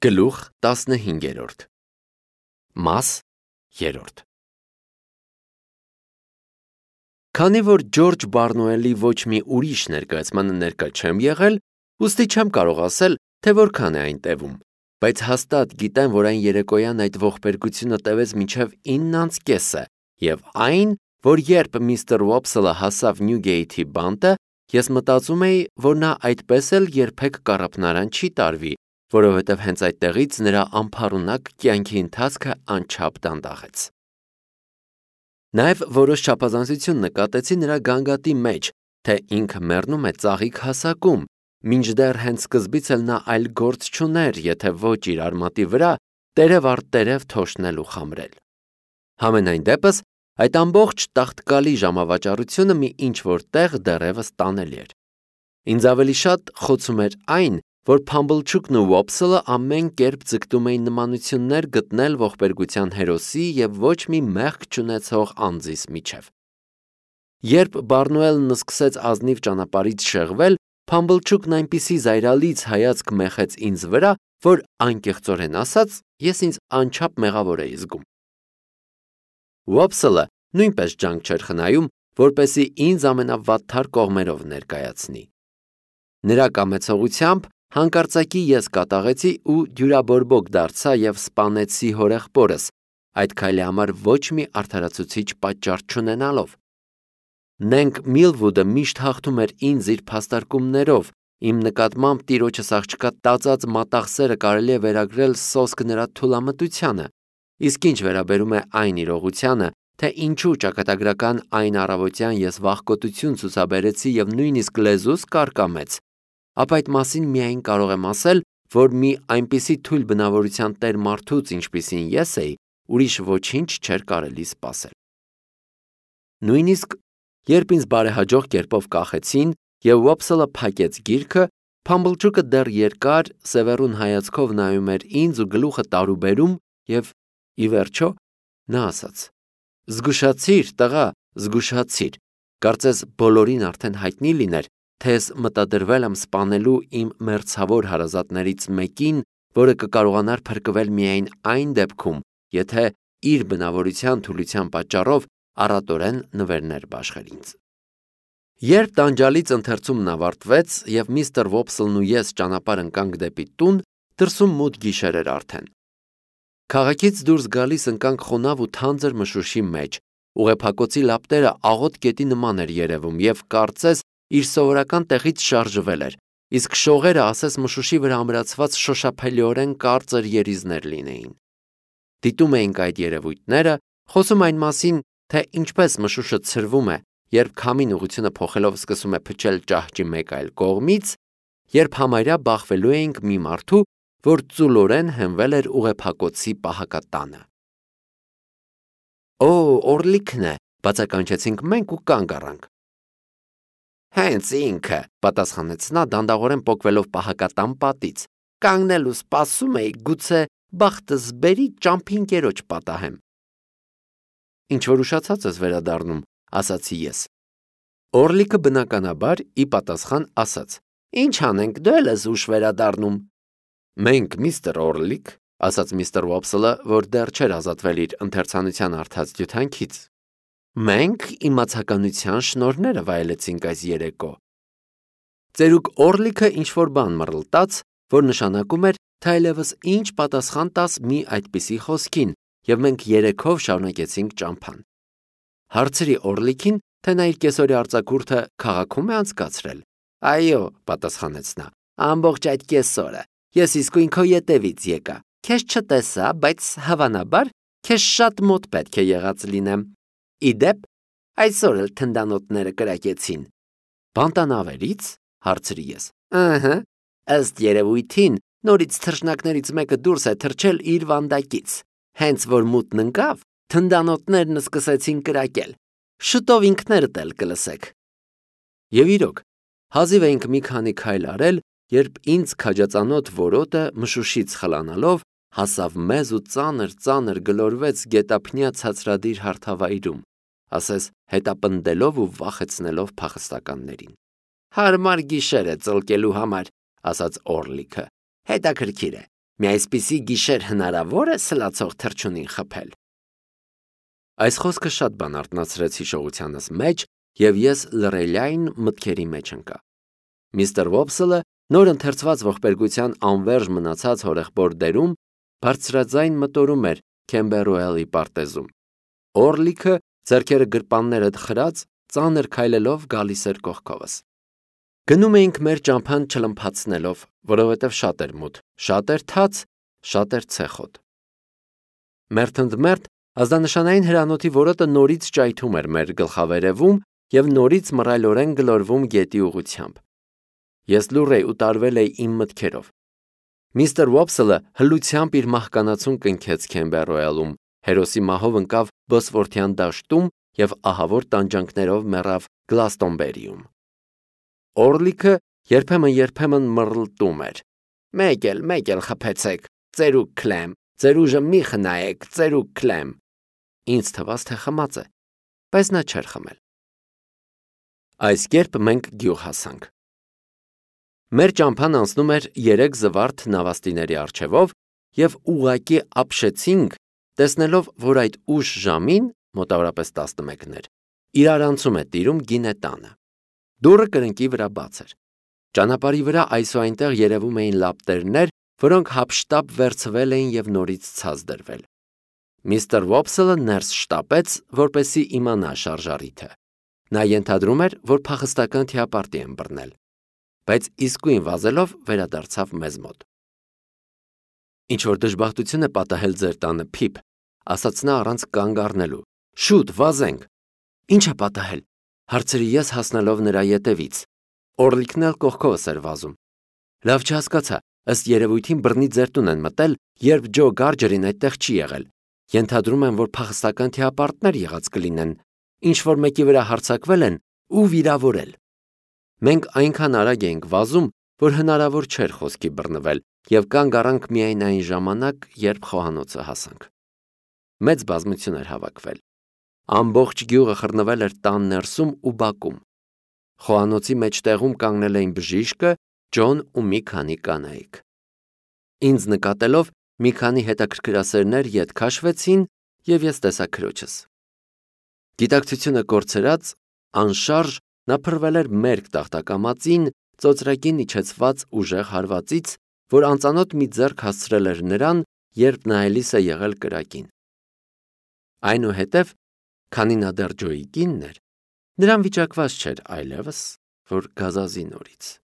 Գլուխ 15 Մաս 3 Քանի որ Ջորջ Բարնոելի ոչ մի ուրիշ ներկայացմանը ներկա չեմ եղել, ուստի չեմ կարող ասել, թե որքան է այն տևում, բայց հաստատ գիտեմ, որ այն երեկոյան այդ ողբերգությունը տևեց մինչև 9:30 և այն, որ երբ միստր Ուոփսելը հասավ Նյուգեյթի բանտը, ես մտածում էի, որ նա այդպես էլ երբեք կառափնարան չի տարվի, որովհետև հենց այդտեղից նրա անփառունակ կյանքի ընթացքը անչափ դանդաղեց։ Նաև որոշ չափազանցություն նկատեցի նրա գանգատի մեջ, թե ինքը մեռնում է ծաղիկ հասակում, մինչդեռ հենց սկզբից էլ նա այլ գործ չուներ, եթե ոչ իր արմատի վրա տերև առ տերև թոշնել ու խամրել։ Համենայն դեպս, այդ ամբողջ տաղտկալի ժամավաճառությունը մի ինչ-որ տեղ դեռևս տանելի էր։ Ինձ ավելի շատ խոցում էր այն, որ Փամբլչուկն ու Ուոփսելը ամեն կերպ ձգտում էին նմանություններ գտնել ողբերգության հերոսի և ոչ մի մեղք չունեցող անձիս միջև։ Երբ Բարնոելն սկսեց ազնիվ ճանապարհից շեղվել, Փամբլչուկն այնպիսի զայրալից հայացք մեխեց ինձ վրա, որ անկեղծորեն ասած, ես ինձ անչափ մեղավոր էի զգում։ Ուոփսելը նույնպես ջանք չէր խնայում, որպեսզի ինձ ամենավատթար կողմերով ներկայացնի։ Նրա կամեցողությամբ հանկարծակի ես կատաղեցի ու դյուրաբորբոք դարձա և սպանեցի հորեղբորս, այդ քայլի համար ոչ մի արդարացուցիչ պատճառ չունենալով։ Նենք Միլվուդը միշտ հաղթում էր ինձ իր փաստարկումներով, իմ նկատմամբ տիրոջս աղջկա տածած մատաղ սերը կարելի է վերագրել սոսկ նրա թուլամտությանը, իսկ ինչ վերաբերում է այն իրողությանը, թե ինչու ճակատագրական այն առավոտյան ես վախկոտություն ցուցաբերեցի և նույնիսկ լեզուս կարկամեց, ապա այդ մասին միայն կարող եմ ասել, որ մի այնպիսի թույլ բնավորության տեր մարդուց, ինչպիսին ես էի, ուրիշ ոչինչ չէր կարելի սպասել։ Նույնիսկ երբ ինձ բարեհաջող կերպով կախեցին և Ուոփսելը փակեց գիրքը, Փամբլչուկը դեռ երկար, սևեռուն հայացքով նայում էր ինձ ու գլուխը տարուբերում և, ի վերջո, նա ասաց. «Զգուշացիր, տղա, զգուշացիր, կարծես բոլորին արդեն հայտնի լիներ, թե ես մտադրվել եմ սպանելու իմ մերձավոր հարազատներից մեկին, որը կկարողանար փրկվել միայն այն դեպքում, եթե իր բնավորության թուլության պատճառով առատորեն նվերներ բաշխեր ինձ»։ Երբ տանջալից ընթերցումն ավարտվեց և միստր Ուոփսելն ու ես ճանապարհ ընկանք դեպի տուն, դրսում մութ գիշեր էր արդեն։ Քաղաքից դուրս գալիս ընկանք խոնավ ու թանձր մշուշի մեջ, ուղեփակոցի լապտերը աղոտ կետի նման էր երևում և կարծես իր սովորական տեղից շարժվել էր, իսկ շողերը ասես մշուշի վրա ամրացված շոշափելիորեն կարծր երիզներ լինեին։ Դիտում էինք այդ երևույթները, խոսում այն մասին, թե ինչպես մշուշը ցրվում է, երբ քամին ուղղությունը փոխելով սկսում է փչել ճահճի մեկ այլ կողմից, երբ համարյա բախվելու էինք մի մարդու, որ ծուլորեն հենվել էր ուղեփակոցի պահակատանը։ «Օ, Օրլիքն է», բացականչեցինք մենք ու կանգ առանք։ «Հենց ինքը», պատասխանեց նա, դանդաղորեն պոկվելով պահակատան պատից, «կանգնել ու սպասում էի, գուցե բախտս բերի ճամփինկերոջ պատահեմ»։ «Ինչ-որ ուշացած ես վերադառնում», ասացի ես։ Օրլիկը բնականաբար ի պատասխան ասաց. «Ինչ անենք, դու էլ ես ուշ վերադառնում»։ «Մենք, միստր Օրլիկ», ասաց միստր Ուոփսելը, որ դեռ չէր ազատվել իր ընթերցանության արդած դյութանքից, «մենք իմացականության շնորհները վայելեցինք այս երեկո»։ Ծերուկ Օրլիկը ինչ-որ բան մռլտաց, որ նշանակում էր, թե այլևս ինչ պատասխան տաս մի այդպիսի խոսքին, և մենք երեքով շարունակեցինք ճամփան։ Հարցրի Օրլիկին, թե նա իր կեսօրյա արձակուրդը քաղաքում է անցկացրել։ «Այո», պատասխանեց նա, «ամբողջ այդ կեսօրը, ես իսկույն քո ետևից եկա, քեզ չտեսա, բայց հավանաբար քեզ շատ մոտ պետք է եղած լինեմ։ Ի դեպ, այսօր էլ թնդանոթները կրակեցին»։ «Բանտանավերից», հարցրի ես։ «Ըհը, ըստ երևույթին, նորից թռչնակներից մեկը դուրս է թռչել իր վանդակից, հենց որ մութն ընկավ, թնդանոթներն սկսեցին կրակել։ Շուտով ինքներդ էլ կլսեք»։ Եվ իրոք, հազիվ էինք մի քանի քայլ արել, երբ ինձ քաջածանոթ որոտը մշուշից խլանալով հասավ մեզ ու ծանր գլորվեց գետափնյա ցածրադիր հարթավայրում, ասես հետապնդելով ու վախեցնելով փախստականներին։ «Հարմար գիշեր է ծլկելու համար», ասաց Օրլիկը։ «Հետաքրքիր է, Մի այսպիսի գիշեր հնարավոր է սլացող թռչունին խփել։ Այս խոսքը շատ բան արթնացրեց հիշողությանս մեջ, եւ ես լռելյային մտքերի մեջ ընկա։ Միստր Վոփսելը նոր ընթերցված ողբերգության անվերջ մնացած հորեղբոր դերում բարձրաձայն մտորում էր Քեմբերուելի պարտեզում։ Օրլիքը ձեռքերը գրպանները խրած, ծանր քայլելով գալիս էր կողքովս։ Գնում էինք մեր ճամփան չլմփացնելով, որովհետև շատ էր մութ, շատ էր թաց, շատ էր ցեխոտ։ Մերթընդմերթ ազդանշանային հրանոթի որոտը նորից ճայթում էր մեր գլխավերևում եւ նորից մռայլորեն գլորվում գետի ուղությամբ։ Ես լուռ էի ու տարվել էի իմ մտքերով։ Միստր Վոփսելը հլությամբ իր մահկանացուն կնքեց Քեմբերուելում, հերոսի մահով ընկավ Բոսվորթյան դաշտում եւ ահավոր տանջանքներով մեռավ Գլաստոնբերիում։ Օրլիքը երբեմն մռլտում էր. Մեկ էլ խփեցեք, ծերուկ Քլեմ, ձեր ուժը մի խնայեք, ծերուկ Քլեմ։ Ինձ թվաց, թե խմած է, բայց նա չէր խմել։ Այս կերպ մենք գյուղ հասանք։ Մեր ճամփան անցնում էր 3 զվարթ նավաստիների առջևով եւ ուղակի ապշեցինք, տեսնելով, որ այդ ուշ ժամին, մոտավորապես 11-ներ, իրարանցում է տիրում գինետանը։ Դուռը կրկնակի վրա բաց էր։ Ճանապարհի վրա այսուայնտեղ երևում էին լապտերներ, որոնք հապշտապ վերցվել էին եւ նորից ցած դրվել։ Միստր Վոփսելը ներս շտապեց, որպեսզի իմանա շարժառիթը։ Նա ենթադրում էր, որ փախստական թիապարտի են բռնել, բայց իսկույն վազելով վերադարձավ մեզ մոտ։ Ինչ որ դժբախտություն է պատահել ձեր տանը, Փիփ, ասաց նա առանց կանգ առնելու։ Շուտ վազենք։ Ինչ է պատահել, հարցրի ես հասնելով նրա ետևից։ Օրլիկն էլ կողքովս էր վազում։ Լավ չհասկացա, ըստ երևույթին բռնի ձեր տուն են մտել, երբ Ջո Գարջերին այդտեղ չի եղել։ Ենթադրում եմ, որ փախստական թիապարտներ եղած կլինեն, ինչ որ մեկի վրա հարձակվել են ու վիրավորել։ Մենք այնքան արագ էինք վազում, որ հնարավոր չէր խոսքի բռնվել եւ կանգ առանք միայն այն ժամանակ, երբ խոհանոցը հասանք։ Մեծ բազմություն էր հավաքվել։ Ամբողջ գյուղը խռնվել էր տան ներսում ու բակում։ Խոհանոցի մեջտեղում կանգնել էին բժիշկը, Ջոն ու մի քանի կանայք։ Ինձ նկատելով մի քանի հետաքրքրասերներ ետ քաշվեցին եւ ես տեսա քրոջս։ Գիտակցությունը կորցրած, անշարժ նա փռվել էր մերկ տախտակամածին, ծոծրակին իջեցված ուժեղ հարվածից, որ անծանոթ մի ձեռք հասցրել էր նրան, երբ նա էլիս է եղել կրակին։ Այնուհետև, քանի նա դեռ Ջոյի կինն էր, նրան վիճակված չէր այլևս, որ գազազի նորից։